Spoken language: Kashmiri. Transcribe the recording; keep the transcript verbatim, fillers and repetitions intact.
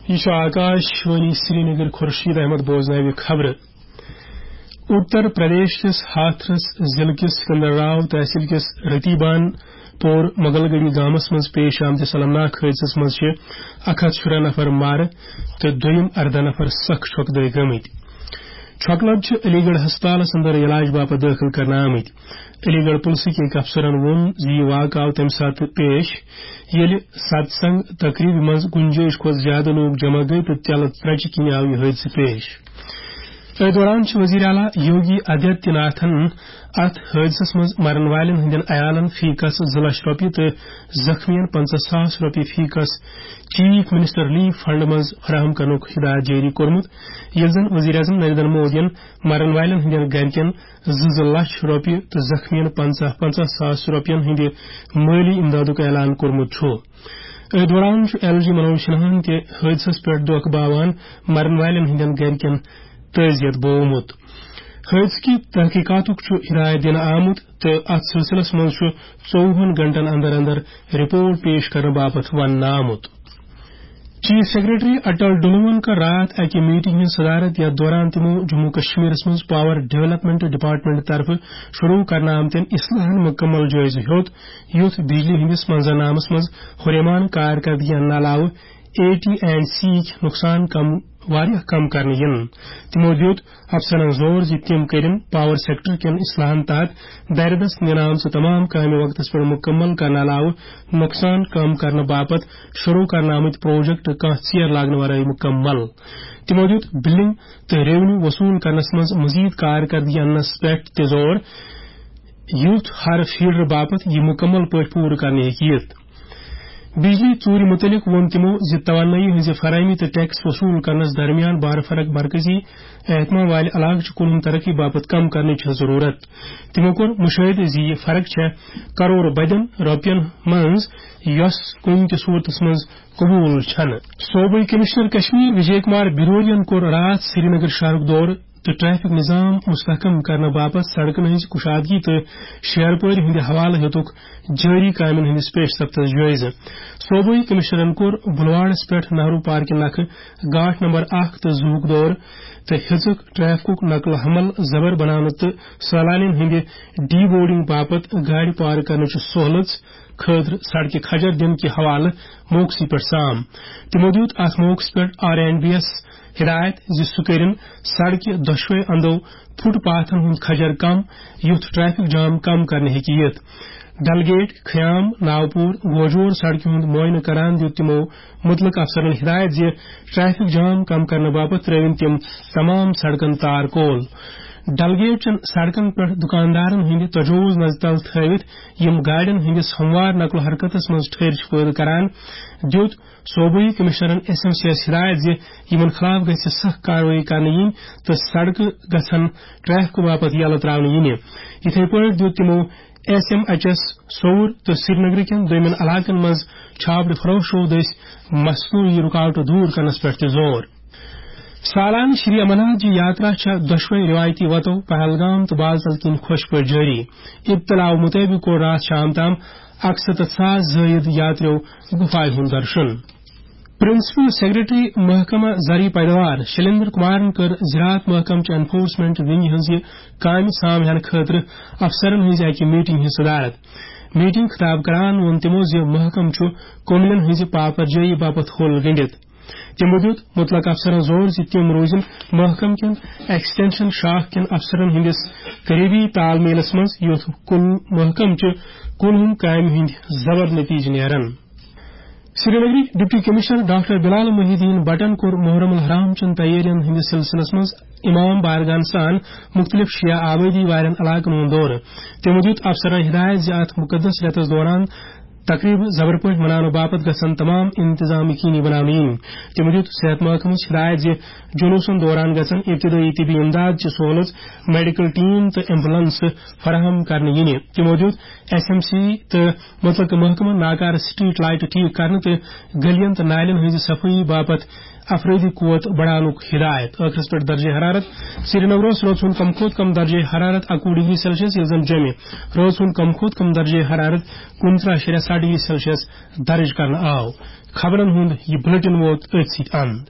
یہِ چھُ آکاش وانی سرینگر۔ خورشید احمد بوزناوِ خبرٕ۔ اتر پردیش کِس ہاتھرس ضلعہٕ کِس سکندر راو تحصیل کِس رتیبان پور مغل گڑھی گامس منٛز پیش آمتِس المناک حٲدثس منٛز چھِ اکھ ہتھ شُراہ نفر مارٕ تہٕ دوٚیِم ارداہ نفر سخ چھۄکہٕ دٲرۍ گٔمٕتۍ۔ چھۄکہٕ لد چھِ علی گڑھ ہسپتالس اندر علاج باپتھ دٲخل کرنہٕ آمٕتۍ۔ علی گڑھ پُلسٕکۍ أکۍ افسرن ووٚن زِ یہِ واقعہٕ آو تَمہِ ساتہٕ پیش، ییٚلہِ ستسنگ تقریبہِ منٛز گُنجٲیِش کھۄتہٕ زیادٕ لوٗکھ جمع گٔے تہٕ تیلہٕ ترٛچہِ کِنۍ آو یہِ حٲدثہٕ پیش۔ أتھۍ دوران چھِ وزیر اعلیٰ یوگی آدتیہ ناتھن اتھ حٲدثس منٛز مرن والٮ۪ن ہٕنٛدٮ۪ن عیالن فی کس زٕ لچھ رۄپیہِ تہٕ زخمیَن پنٛژاہ ساس رۄپیہِ فی کس چیف منسٹر ریلیف فنڈ منٛز فراہم کرنُک ہدایت جٲری کوٚرمُت، ییٚلہِ زن وزیر اعظم نریندر مودیَن مرن والٮ۪ن ہٕنٛدٮ۪ن گرِکٮ۪ن زٕ زٕ لچھ رۄپیہِ تہٕ زخمیَن پنٛژاہ پنٛژاہ ساس رۄپین ہٕنٛدِ مٲلی امدادُک اعلان کوٚرمُت چھُ۔ أتھۍ دوران چھُ ایل جی منوج سنہاہن تہِ حٲدثس پٮ۪ٹھ دۄکھ باوان مرن والٮ۪ن ہٕنٛدٮ۪ن گرِکٮ۪ن تعزیت بوومُت۔ حٲدثہٕ کہِ تحقیقاتُک چھُ ہدایت دِنہٕ آمُت تہٕ اتھ سلسلس منٛز چھُ ژووُہن گھنٹن اندر اندر رپورٹ پیش کرنہٕ باپتھ وننہٕ آمُت۔ چیف سیکرٹری اٹل ڈلون کٔر راتھ اکہِ میٹنگ ہٕنٛز صدارت، یتھ دوران تِمو جموں کشمیرس منٛز پاور ڈیولپمنٹ ڈپارٹمنٹ طرفہٕ شروع کرنہٕ آمتٮ۪ن اصلاحن مکمل جٲیزٕ ہیوٚت، یُتھ بجلی ہٕنٛدِس منظرنامس منٛز ہُریمان کارکردگی اننہٕ علاوٕ اے ٹی اینڈ سی یِکۍ نۄقصان کم، واریاہ کم کرنہٕ یِن۔ تِمو دیُت افسرن زور زِ تِم کٔرِن پاور سیکٹر کٮ۪ن اصلاحن تحت دارِ دست نِنہٕ آمژٕ تمام کامہِ وقتس پٮ۪ٹھ مکمل کرنہٕ علاوٕ نۄقصان کم کرنہٕ باپتھ شروع کرنہٕ آمٕتۍ پروجیکٹ کانٛہہ ژیر لاگنہٕ ورٲے مکمل۔ تِمو دیُت بلنگ تہٕ ریونیو وصول کرنس منٛز مزید کارکردگی اننس پٮ۪ٹھ تہِ زور، یُتھ ہر فیڈر باپتھ یہِ مکمل پٲٹھۍ پوٗرٕ کرنہٕ ہیٚکہِ یِتھ۔ بجلی ژوٗرِ مُتعلق ووٚن تِمو زِ توانٲیی ہٕنٛزِ فراہمی تہٕ ٹیکس وصول کرنس درمیان بار فرق مرکزی اہتمام والہِ علاقہٕ چہِ کُلہُم ترقی باپتھ کم کرنٕچ چھےٚ ضروٗرت۔ تِمو کوٚر مُشٲہدٕ زِ یہِ فرق چھےٚ کرور بدٮ۪ن رۄپین منٛز، یۄس کُنہِ تہِ صوٗرتس منٛز قبوٗل چھنہٕ۔ صوبٲئی کمشنر کشمیر وجے کمار برورین کوٚر راتھ سرینگر شہرُک دورٕ تہٕ ٹریفک نظام مستحکم کرنہٕ باپتھ سڑکن ہٕنٛز کشادگی تہٕ شیرپٲرۍ ہٕنٛدِ حوالہٕ ہیوٚتُکھ جٲری کامٮ۪ن ہٕنٛدِس پیش رفتس جٲیزٕ۔ صوبٲئی کمشنرن کوٚر بلواڑس پٮ۪ٹھ نہرو پارکہِ نکھٕ گاٹھ نمبر اکھ تہٕ زٕ ہُک دورٕ تہٕ ہیٚژٕکھ ٹریفکُک نقل و حمل زبر بناونہٕ تہٕ سٲلانٮ۪ن ہٕنٛدِ ڈی بورڈنگ باپتھ گاڑِ پارک کرنٕچہِ سہولژ خٲطرٕ سڑکہِ کھجر دِنہٕ کہِ حوالہٕ موقعسٕے پٮ۪ٹھ سام۔ تِمو دیُت اتھ موقعس پٮ۪ٹھ آر اینڈ بی یس ہدایت زِ سُہ کٔرِن سڑکہِ دۄشوے اندو فٹ پاتھن ہُنٛد کھجر کم، یُتھ ٹریفک جام کم کرنہٕ ہیٚکہِ یِتھ۔ ڈل گیٹ، خیام، ناوپور، گوجور سڑکہِ ہُنٛد معائنہٕ کران دیُت تِمو مُتلقہٕ افسرن ہدایت زِ ٹریفک جام کم کرنہٕ باپتھ ترٲوِن تِم تمام سڑکن تار کول۔ ڈل گیٹ چٮ۪ن سڑکن پٮ۪ٹھ دُکاندارن ہٕنٛدِ تجووز نظرِ تل تھٲوِتھ یِم گاڑٮ۪ن ہٕنٛدِس ہموار نقل و حرکتس منٛز ٹھٔہرۍ چھِ پٲدٕ کران، دیُت صوبٲئی کمشنرن ایس ایم سی یس ہدایت زِ یِمن خلاف گژھِ سخت کاروٲیی کرنہٕ یِنۍ تہٕ سڑکہٕ گژھن ٹریفکہٕ باپتھ یلہٕ تراونہٕ یِنہِ۔ یِتھے پٲٹھۍ دیُت تِمو ایس ایم ایچ ایس سوٚوُر تہٕ سرینگرٕ کٮ۪ن دوٚیمٮ۪ن علاقن منٛز چھاپڑٕ فروشو دٔسۍ مصنوعی رُکاوٹہٕ دوٗر کرنس پٮ۪ٹھ تہِ زور۔ سالانہٕ شری امرناتھ جی یاترا چھےٚ دۄشوے روایتی وتو پہلگام تہٕ بالتل کِنۍ خۄش پٲٹھۍ جٲری۔ ابتداو مُطٲبِق کوٚر راتھ شام تام اکسَتتھ ساس زٲیِد یاترِیو گُفایہِ ہُنٛد درشُن۔ پرنسپل سیکرٹری محکمہ زرعی پیداوار شلیندر کمارن کٔر زراعت محکمہٕ چہِ انفورسمنٹ ونگہِ ہٕنٛزِ کامہِ سام ہینہٕ خٲطرٕ افسرن ہٕنٛزِ اکہِ میٹنگ ہٕنٛز صدارت۔ میٹنگ خطاب کران ووٚن تِمو زِ محکمہٕ چھُ کٔملین ہٕنٛزِ پاپرجٲیی باپتھ ہوٚل گٔنڈِتھ۔ تِمو دیُت مُتلق افسرن زور زِ تِم روزن محکمہٕ کٮ۪ن ایکسٹینشن شاخ کٮ۪ن افسرن ہٕنٛدِس قریبی تال میلس منٛز، یُتھ کُل محکمہٕ چہِ کُلہُم کامہِ ہٕنٛدۍ زبر نتیجہٕ نیرن۔ سرینگرٕکۍ ڈپٹی کمشنر ڈاکٹر بلال محی الدین بٹن کوٚر محرم الحرام چٮ۪ن تیٲرین ہٕنٛدِس سلسلس منٛز امام بارگاہن سان مُختٔلِف شیعہ آبٲدی والٮ۪ن علاقن ہُنٛد دورٕ۔ تِمو دیُت افسرن ہدایت زِ اتھ مُقدس رٮ۪تس دوران تقریبہٕ زبر پٲٹھۍ مناونہٕ باپتھ گژھن تمام انتظام یقینی بناونہٕ یِنۍ۔ تِمو دیُت صحت محکمس ہدایت زِ جلوسن دوران گژھن ابتدٲئی طبی امداد چہِ سہولژ، میڈیکل ٹیم تہٕ ایمبولینس فراہم کرنہٕ یِنہِ۔ تِمو دیُت ایس ایم سی تہٕ مُتلقہٕ محکمن ناکارٕ سٹریٹ لائٹہٕ ٹھیک کرنہٕ تہٕ گلیَن تہٕ نالین ہٕنٛزِ صفٲیی باپتھ افرٲدی قوت بڑاونُک ہدایت۔ ٲخرس پٮ۪ٹھ درجہ حرارت۔ سرینگرس رٲژ ہُنٛد کم کھۄتہٕ کم درجہ حرارت اَکوُہ ڈگری سیلسیس، ییٚلہِ زن جوٚمہِ رٲژ ہُنٛد کم کھۄتہٕ کم درجہ حرارت کُنترٕہ اَشاریہ ستھ ڈگری سیلسیس درج کرنہٕ آو۔ خبرن ہُنٛد یہِ بلیٹن ووت أتھۍ سۭتۍ اند۔